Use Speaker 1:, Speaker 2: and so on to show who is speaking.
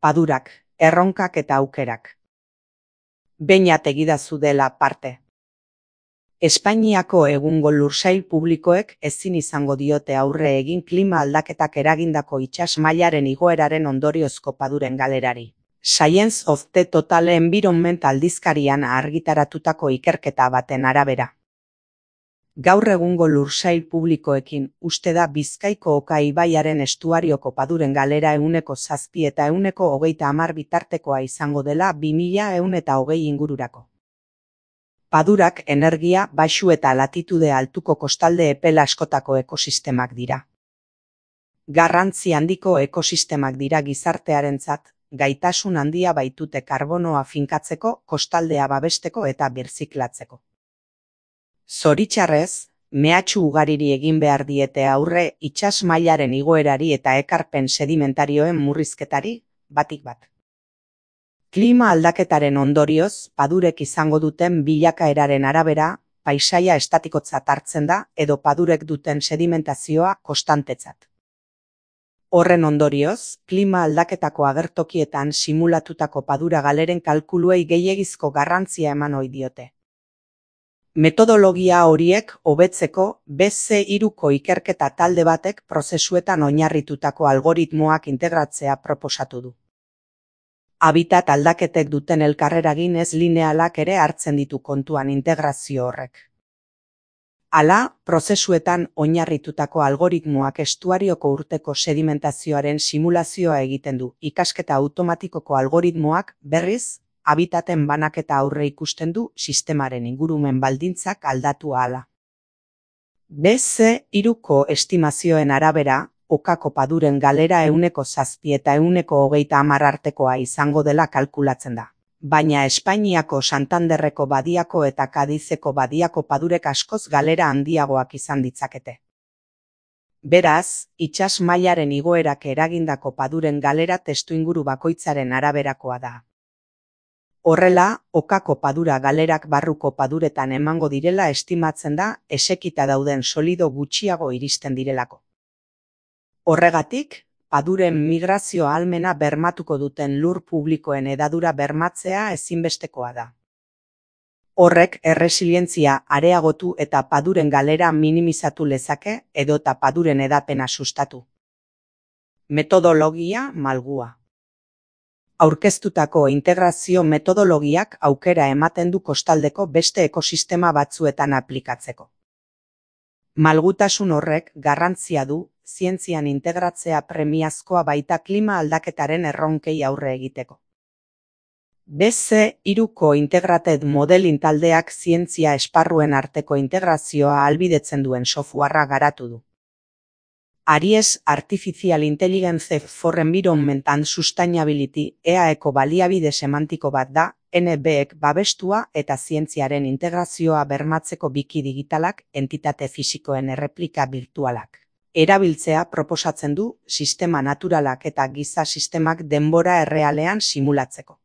Speaker 1: Padurak, erronkak eta aukerak. Beñat egidazu dela parte. Espainiako egungo lursail publikoek ezin izango diote aurre egin klima aldaketak eragindako itsas mailaren igoeraren ondoriozko paduren galerari. Science of the Total Environment aldizkarian argitaratutako ikerketa baten arabera. Gaur egungo lursail publikoekin uste da Bizkaiko Oka ibaiaren estuarioko paduren galera 7 eta 130 bitartekoa izango dela 2120 ingururako. Padurak energia baxu eta latitude altuko kostalde epel askotako ekosistemak dira. Garrantzi handiko ekosistemak dira gizartearentzat, gaitasun handia baitute karbonoa finkatzeko, kostaldea babesteko eta birziklatzeko. Zoritxarrez, mehatxu ugariri egin behar diete aurre itsas mailaren igoerari eta ekarpen sedimentarioen murrizketari, batik bat. Klima aldaketaren ondorioz, padurek izango duten bilakaeraren arabera, paisaia estatikotzat hartzen da edo padurek duten sedimentazioa konstantetzat. Horren ondorioz, klima aldaketako agertokietan simulatutako padura galeren kalkuluei gehiegizko garrantzia eman ohi diote. Metodologia horiek hobetzeko BC3ko ikerketa talde batek prozesuetan oinarritutako algoritmoak integratzea proposatu du. Habitat aldaketek duten elkarreragin ez linealak ere hartzen ditu kontuan integrazio horrek. Hala, prozesuetan oinarritutako algoritmoak estuarioko urteko sedimentazioaren simulazioa egiten du. Ikasketa automatikoko algoritmoak, berriz, habitaten banaketa aurre ikusten du sistemaren ingurumen baldintzak aldatu ahala. BC3ko estimazioen arabera, Okako paduren galera 7 eta 130 artekoa izango dela kalkulatzen da. Baina Espainiako Santanderreko badiako eta Kadizeko badiako padurek askoz galera handiagoak izan ditzakete. Beraz, itsas mailaren igoerak eragindako paduren galera testuinguru bakoitzaren araberakoa da. Horrela, Okako padura galerak barruko paduretan emango direla estimatzen da esekita dauden solido gutxiago iristen direlako. Horregatik, paduren migrazio ahalmena bermatuko duten lur publikoen hedadura bermatzea ezinbestekoa da. Horrek erresilientzia areagotu eta paduren galera minimizatu lezake edota paduren hedapena sustatu. Metodologia malgua. Aurkeztutako integrazio metodologiak aukera ematen du kostaldeko beste ekosistema batzuetan aplikatzeko. Malgutasun horrek garrantzia du zientzian integratzea premiazkoa baita klima aldaketaren erronkei aurre egiteko. BC3ko Integrated Modeling taldeak zientzia esparruen arteko integrazioa ahalbidetzen duen softwarea garatu du. Aries Artificial Intelligence for Environment and Sustainability EAEko baliabide semantiko bat da, NBek babestua eta zientziaren integrazioa bermatzeko biki digitalak, entitate fisikoen erreplika virtualak. Erabiltzea proposatzen du sistema naturalak eta giza sistemak denbora errealean simulatzeko.